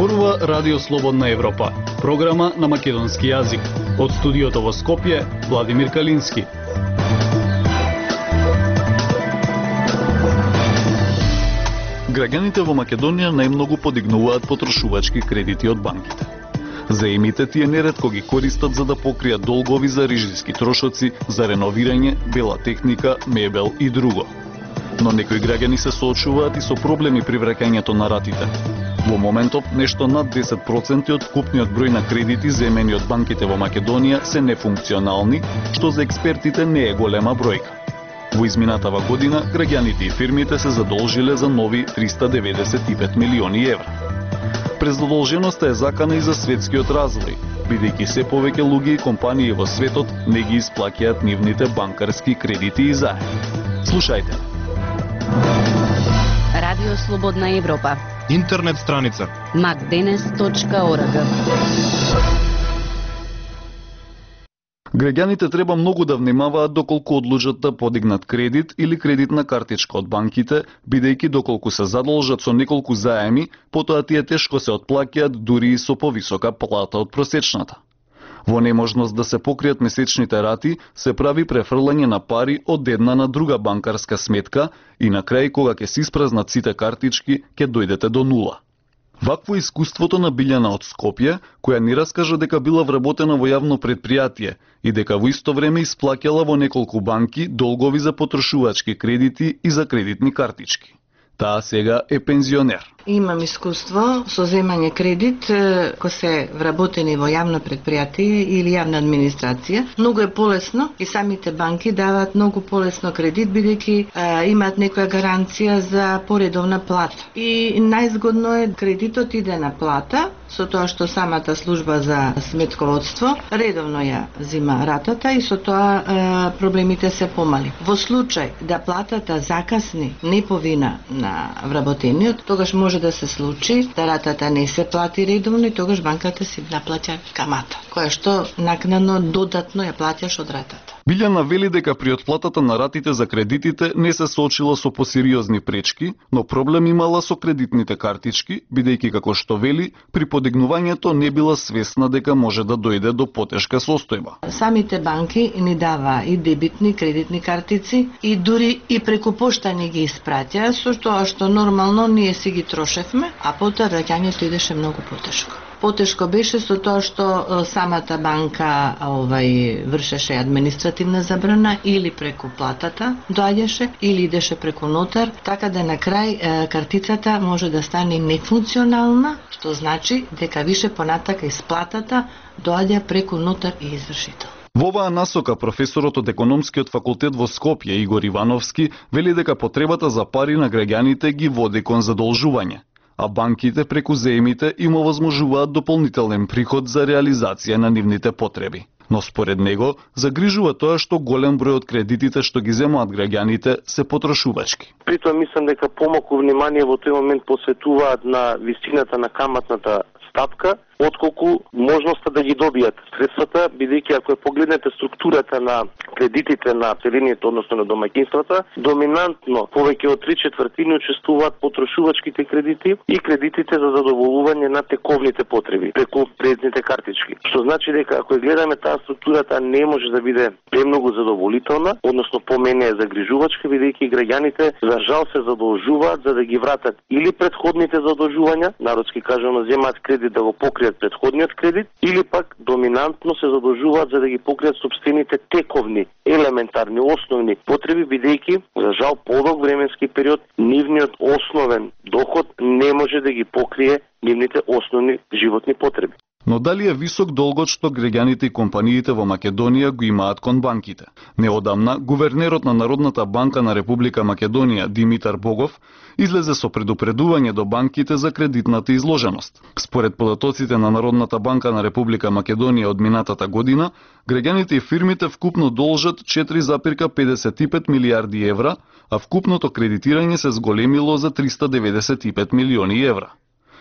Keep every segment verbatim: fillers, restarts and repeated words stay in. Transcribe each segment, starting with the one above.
Зборува Радио Слободна Европа, програма на македонски јазик. Од студиото во Скопје, Владимир Калински. Граѓаните во Македонија најмногу подигнуваат потрошувачки кредити од банките. Заемите тие неретко ги користат за да покријат долгови за рижиски трошоци, за реновирање, бела техника, мебел и друго. Но некои граѓани се соочуваат и со проблеми при враќањето на ратите. Во моментов, нешто над десет проценти од вкупниот број на кредити земени од банките во Македонија се нефункционални, што за експертите не е голема бројка. Во изминатава година, граѓаните и фирмите се задолжиле за нови триста деветдесет и пет милиони евра. Презадолженоста е закана и за светскиот развој, бидејќи се повеќе луѓе и компании во светот не ги исплаќаат нивните банкарски кредити и заеми. Слушајте. Радио Слободна Европа. Интернет страница макденес точка орг. Граѓаните треба многу да внимаваат доколку одлучат да подигнат кредит или кредитна картичка од банките, бидејќи доколку се задолжат со неколку заеми, потоа тие тешко се отплаќаат дури и со повисока плата од просечната. Во неможност да се покријат месечните рати, се прави префрлање на пари од една на друга банкарска сметка и на крај, кога ќе се испразнат сите картички, ќе дојдете до нула. Вакво е искуството на Билјана од Скопје, која ни раскажа дека била вработена во јавно предпријатие и дека во исто време исплаќала во неколку банки долгови за потрошувачки кредити и за кредитни картички. Таа сега е пензионер. Имам искуство со земање кредит кој се вработени во јавно предпријатие или јавна администрација. Многу е полесно и самите банки даваат многу полесно кредит бидејќи имаат некоја гаранција за поредовна плата. И најзгодно е кредитот иде на плата, со тоа што самата служба за сметководство редовно ја зима ратата и со тоа е, проблемите се помали. Во случај да платата закасни не повина на вработениот, тогаш може да се случи да ратата не се плати редовно и тогаш банката си наплаќа камата, која што накнадно додатно ја плаќаш од ратата. Билјана вели дека при отплатата на ратите за кредитите не се соочила со посериозни пречки, но проблем имала со кредитните картички, бидејќи како што вели, при подигнувањето не била свесна дека може да дојде до потешка состојба. Самите банки ни дава и дебитни кредитни картици и дури и преку пошта ни ги испраќа, со тоа што нормално ние си ги трошевме, а потоа враќањето идеше многу потешко. Потешко беше со тоа што самата банка овај вршеше административна забрана или преку платата доаѓаше или идеше преку нотар, така да на крај картицата може да стане нефункционална, што значи дека више понатака исплатата доаѓа преку нотар и извршител. Во оваа насока професорот од економскиот факултет во Скопје Игор Ивановски вели дека потребата за пари на граѓаните ги води кон задолжување, а банките преку заемите им овозможуваат дополнителен приход за реализација на нивните потреби. Но според него, загрижува тоа што голем број од кредитите што ги земаат граѓаните се потрошувачки. Притоа мислам дека помалку внимание во тој момент посветуваат на висината на каматната стапка, отколку можноста да ги добијат средствата, бидејќи ако ја погледнете структурата на кредитите на населението, односно на домаќинствата, доминантно повеќе од три четвртини учествуваат потрошувачките кредити и кредитите за задоволување на тековните потреби преку кредитните картички. Што значи дека ако ја гледаме таа структурата не може да биде премногу задоволителна, односно помене е загрижувачка, бидејќи граѓаните за жал се задолжуваат за да ги вратат или предходните задолжувања, народски кажано земаат кредит да го покријат предходниот кредит, или пак доминантно се задолжуваат за да ги покријат собствените тековни, елементарни, основни потреби, бидејќи за жал подолг временски период нивниот основен доход не може да ги покрие нивните основни животни потреби. Но дали е висок долгот што граѓаните и компаниите во Македонија го имаат кон банките? Неодамна, гувернерот на Народната банка на Република Македонија Димитар Богов излезе со предупредување до банките за кредитната изложеност. Според податоците на Народната банка на Република Македонија од минатата година, граѓаните и фирмите вкупно должат четири запирка педесет и пет милијарди евра, а вкупното кредитирање се зголемило за триста деветдесет и пет милиони евра.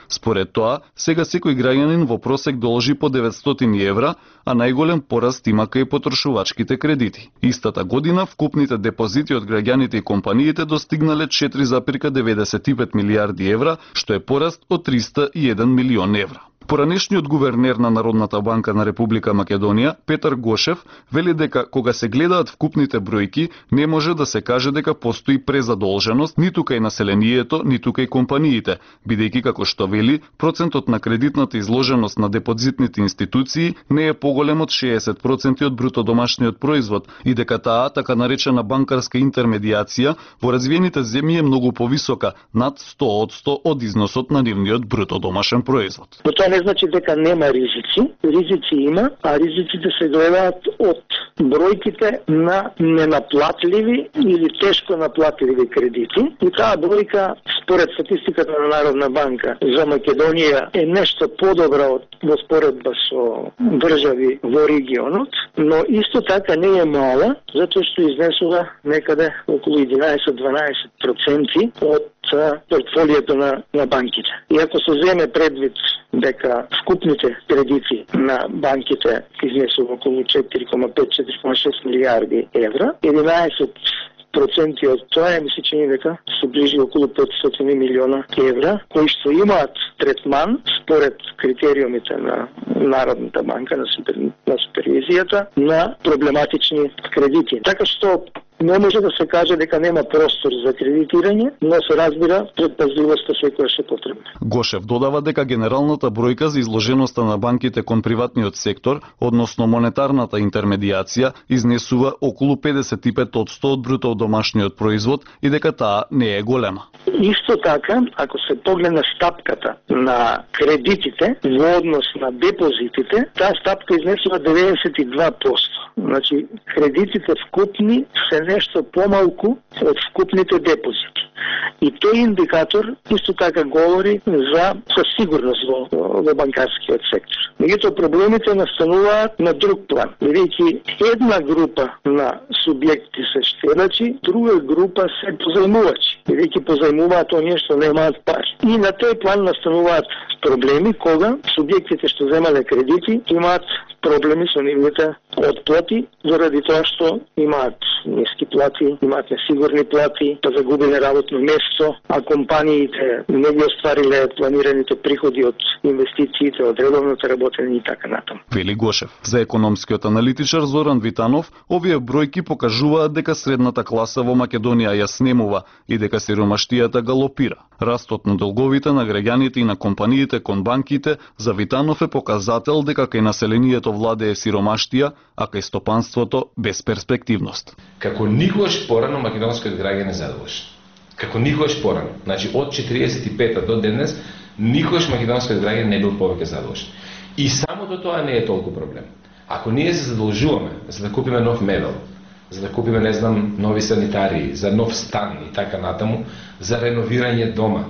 Според тоа, сега секој граѓанин во просек должи по деветстотини евра, а најголем пораст има кај потрошувачките кредити. Истата година вкупните депозити од граѓаните и компаниите достигнале четири зарез деветдесет и пет милијарди евра, што е пораст од триста и еден милион евра. Поранешниот гувернер на Народната банка на Република Македонија, Петар Гошев, вели дека кога се гледаат вкупните бројки, не може да се каже дека постои презадолженост ниту кај населението, ниту кај компаниите, бидејќи како што вели, процентот на кредитната изложеност на депозитните институции не е поголем од шеесет проценти од бруто домашниот производ и дека таа така наречена банкарска интермедијација во развиените земји е многу повисока, над сто одсто од износот на нивниот бруто домашен производ. Не значи дека нема ризици, ризици има, а ризиците се гледаат од бројките на ненаплатливи или тешко наплатливи кредити. И таа бројка, според статистиката на Народна банка за Македонија, е нешто подобра од во споредба со држави во регионот, но исто така не е мала, затоа што изнесува некаде околу единаесет-дванаесет проценти од портфолиото на, на банките. И ако се земе предвид дека вкупните кредити на банките изнесува околу четири кома пет - четири кома шест милијарди евра, единаесет проценти од тоа е, мисли, че дека се ближи околу петстотини милиона евра, кои што имаат третман според критериумите на Народната банка, на, супер, на супервизијата, на проблематични кредити. Така што не може да се каже дека нема простор за кредитирање, но се разбира предпазливоста секогаш е потребна. Гошев додава дека генералната бројка за изложеноста на банките кон приватниот сектор, односно монетарната интермедијација, изнесува околу педесет и пет одсто од бруто домашниот производ и дека таа не е голема. Исто така, ако се погледне стапката на кредитите во однос на депозитите, таа стапка изнесува деветдесет и два проценти. Значи, кредитите вкупни се нешто помалку од вкупните депозити. И тој индикатор исто така говори за сигурност во, во банкарскиот сектор. Меѓутоа проблемите настануваат на друг план, бидејќи една група на субјекти се штедачи, друга група се позајмувачи, бидејќи позајмуваат оние што немаат пари. И на тој план настануваат проблеми кога субјектите што земале кредити имаат проблеми со нивните отплати, заради тоа што имаат ниски плати, имаат несигурни плати, па загубиле работно место, а компаниите не ги оствариле планираните приходи од инвестициите, од редовното работење и така натаму. Вели Гошев. За економскиот аналитичар Зоран Витанов, овие бројки покажуваат дека средната класа во Македонија ја снемува и дека сиромаштијата галопира. Растот на долговите на граѓаните и на компаниите кон банките за Витанов е показател дека кај населението владее сиромаштија, а кај стопанството безперспективност. Како никогаш порано македонскиот граѓан е задоволен. Како никогаш порано. Значи од четириесет и пета до денес никогаш македонскиот граѓан не бил повеќе задоволен. И самото тоа не е толку проблем. Ако ние се задолжуваме за да купиме нов мебел, за да купиме, не знам, нови санитарии, за нов стан и така натаму, за реновирање дома,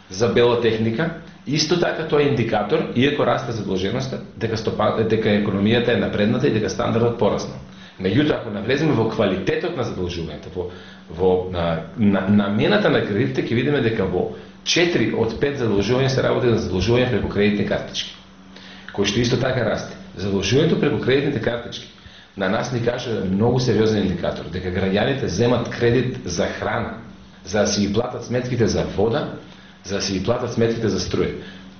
за бела техника, исто така тоа е индикатор, иако расте задолженоста, дека, стопа, дека економијата е напредната и дека стандардот пораснал. Меѓутоа, ако навлеземе во квалитетот на задолжувањето, во, во на, на, намената на кредитите, ќе видиме дека во четири од пет задолжувања се работи за задолжување преку кредитни картички, кој што исто така расте. Задолжувањето преку кредитните картички на нас ни кажа многу сериозен индикатор, дека граѓаните земат кредит за храна, за да си ги платат сметките за вода, за да си ги платат сметките за струја.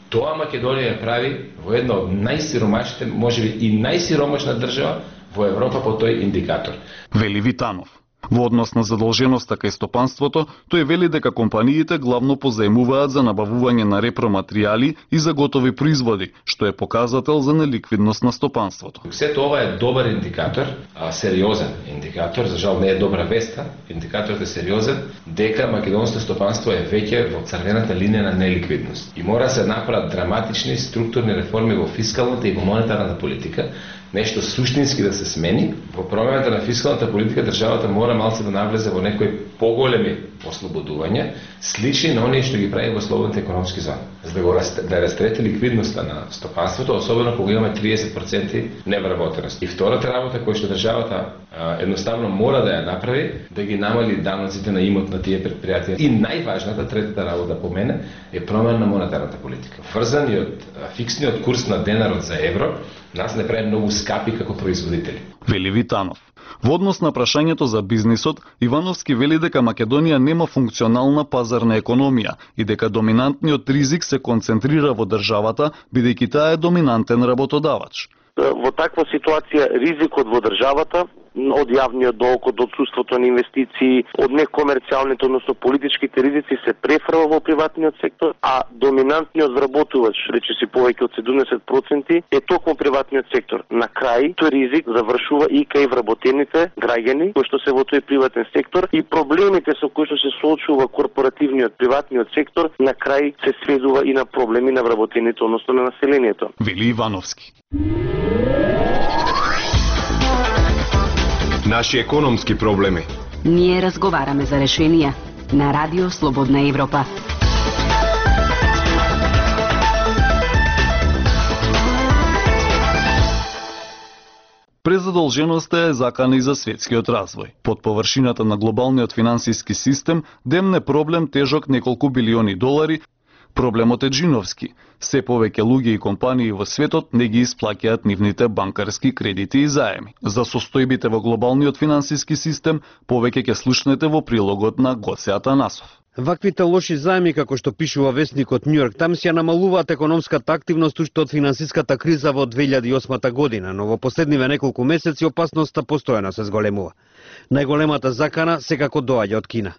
Тоа Македонија ја прави во една од најсиромашните, можеби и најсиромашна држава во Европа по тој индикатор. Вели Витанов. Во однос на задолженоста кај стопанството, тој вели дека компаниите главно позајмуваат за набавување на репроматеријали и за готови производи, што е показател за неликвидност на стопанството. Сето ова е добар индикатор, а сериозен индикатор, за жал не е добра веста, индикаторот е сериозен, дека македонското стопанство е веќе во црвената линија на неликвидност. И мора да се направат драматични структурни реформи во фискалната и во монетарната политика, нешто суштински да се смени, во промената на фискалната политика државата мора малце да навлезе во некои поголеми ослободувања, слични на оние што ги прави во слободните економски зони, за да го раст, да растрети ликвидноста на стопанството, особено кога имаме триесет проценти невработеност. И втората работа која што државата а, едноставно мора да ја направи, да ги намали даноците на имот на тие предпријатија. И најважната третата работа по мене е промена на монетарната политика. Врзаниот фиксниот курс на денарот за евро нас не прави многу скапи како производители. Вели Витанов. Во однос на прашањето за бизнисот, Ивановски вели дека Македонија нема функционална пазарна економија и дека доминантниот ризик се концентрира во државата, бидејќи таа е доминантен работодавач. Во таква ситуација ризикот во државата од јавниот долг, од отсуството на инвестиции, од некомерцијалните, односно политичките ризици се префрва во приватниот сектор, а доминантниот вработувач, речиси повеќе од седумдесет проценти, е токму приватниот сектор. На крај, тој ризик завршува и кај вработените граѓани, кои што се во тој приватен сектор, и проблемите со кои што се соочува корпоративниот приватниот сектор, на крај се сведува и на проблеми на вработените, односно на населението. Вели Ивановски. Наши економски проблеми. Ние разговараме за решенија на Радио Слободна Европа. Презадолженоста е закана и за светскиот развој. Под површината на глобалниот финансиски систем демне проблем тежок неколку билиони долари. Проблемот е джиновски. Се повеќе луѓе и компании во светот не ги исплаќаат нивните банкарски кредити и заеми. За состојбите во глобалниот финансиски систем повеќе ќе слушнете во прилогот на Гоце Атанасов. Ваквите лоши заеми, како што пишува весникот Нью Йорк Таймс, ја намалуваат економската активност уште од финансиската криза во две илјади и осма година, но во последниве неколку месеци опасноста постојано се зголемува. Најголемата закана секако доаѓа од Кина.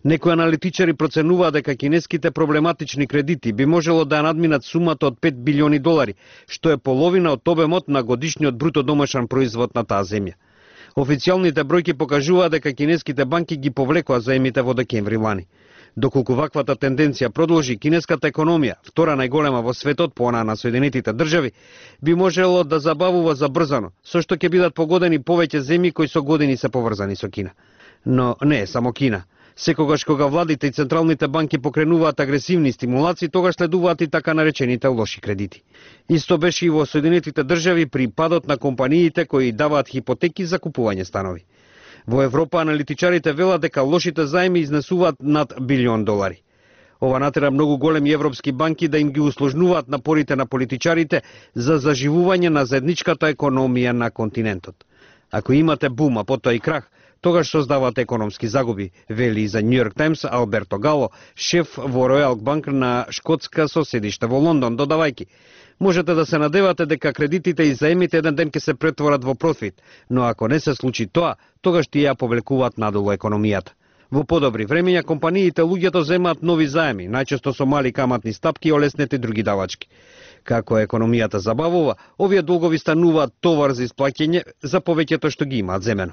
Некои аналитичари проценуваат дека кинеските проблематични кредити би можело да надминат сумата од пет билиони долари, што е половина од обемот на годишниот бруто домашен производ на таа земја. Официјалните бројки покажуваат дека кинеските банки ги повлекоа заемите во декември лани. Доколку ваквата тенденција продолжи, кинеската економија, втора најголема во светот по она на Соединетите држави, би можело да забавува забрзано, со што ќе бидат погодени повеќе земји кои со години се поврзани со Кина. Но не е само Кина. Секогаш кога владите и централните банки покренуваат агресивни стимулации, тогаш следуваат и така наречените лоши кредити. Исто беше и во Соединетите држави при падот на компаниите кои даваат хипотеки за купување станови. Во Европа аналитичарите велат дека лошите заеми изнесуваат над билион долари. Ова натера многу големи европски банки да им ги усложнуваат напорите на политичарите за заживување на заедничката економија на континентот. Ако имате бум, а потоа и крах, тогаш создават економски загуби, вели за Нью Йорк Таймс Алберто Гало, шеф во Ројал Банк на Шкотска со седиште во Лондон, додавајки: можете да се надевате дека кредитите и заемите еден ден ќе се претворат во профит, но ако не се случи тоа, тогаш тие ја повлекуваат надолу економијата. Во подобри времења компаниите луѓето земаат нови заеми, најчесто со мали каматни стапки и олеснети други давачки. Како економијата забавува, овие долгови стануваат товар за исплаќање за повеќето што ги имаат земено.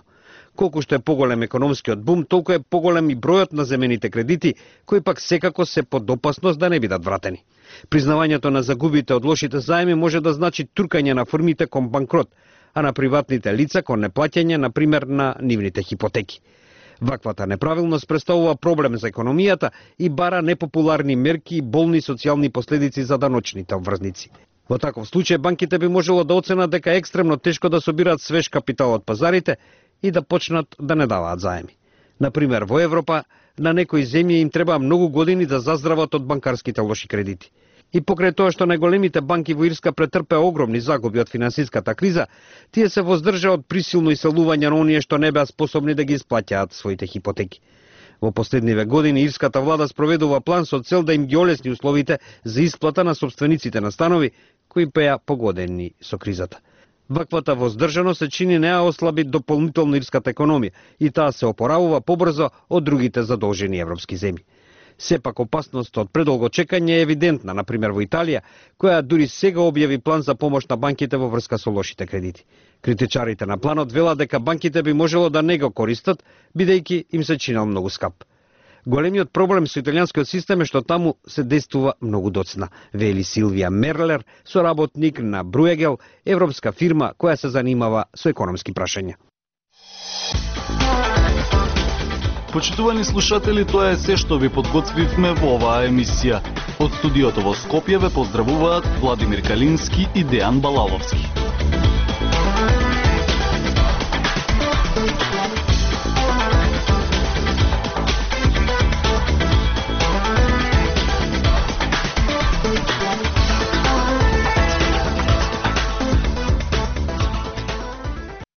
Колку што е поголем економскиот бум, толку е поголем и бројот на земените кредити, кои пак секако се под опасност да не бидат вратени. Признавањето на загубите од лошите заеми може да значи туркање на фирмите кон банкрот, а на приватните лица кон неплаќање, на пример, на нивните хипотеки. Ваквата неправилност представува проблем за економијата и бара непопуларни мерки и болни социјални последици за даночните обврзници. Во таков случај банките би можело да оценат дека е екстремно тешко да собираат свеж капитал од пазарите и да почнат да не даваат заеми. Например, во Европа, на некои земји им треба многу години да заздрават од банкарските лоши кредити. И покрај тоа што најголемите банки во Ирска претрпеа огромни загуби од финансиската криза, тие се воздржаа од присилно иселување на оние што не беа способни да ги исплаќаат своите хипотеки. Во последниве години ирската влада спроведува план со цел да им ги олесни условите за исплата на собствениците на станови кои беа погодени со кризата. Ваквата воздржаност се чини не ја ослаби дополнително ирската економија и таа се опоравува побрзо од другите задолжени европски земји. Сепак опасноста од предолго чекање е евидентна, например во Италија, која дури сега објави план за помош на банките во врска со лошите кредити. Критичарите на планот велат дека банките би можело да не го користат, бидејќи им се чинел многу скап. Големиот проблем со италијанскиот систем е што таму се действува многу доцна, вели Силвија Мерлер, соработник на Бруегел, европска фирма која се занимава со економски прашања. Почитувани слушатели, тоа е се што ви подготвивме во оваа емисија. Од студиото во Скопје ве поздравуваат Владимир Калински и Дејан Балаловски.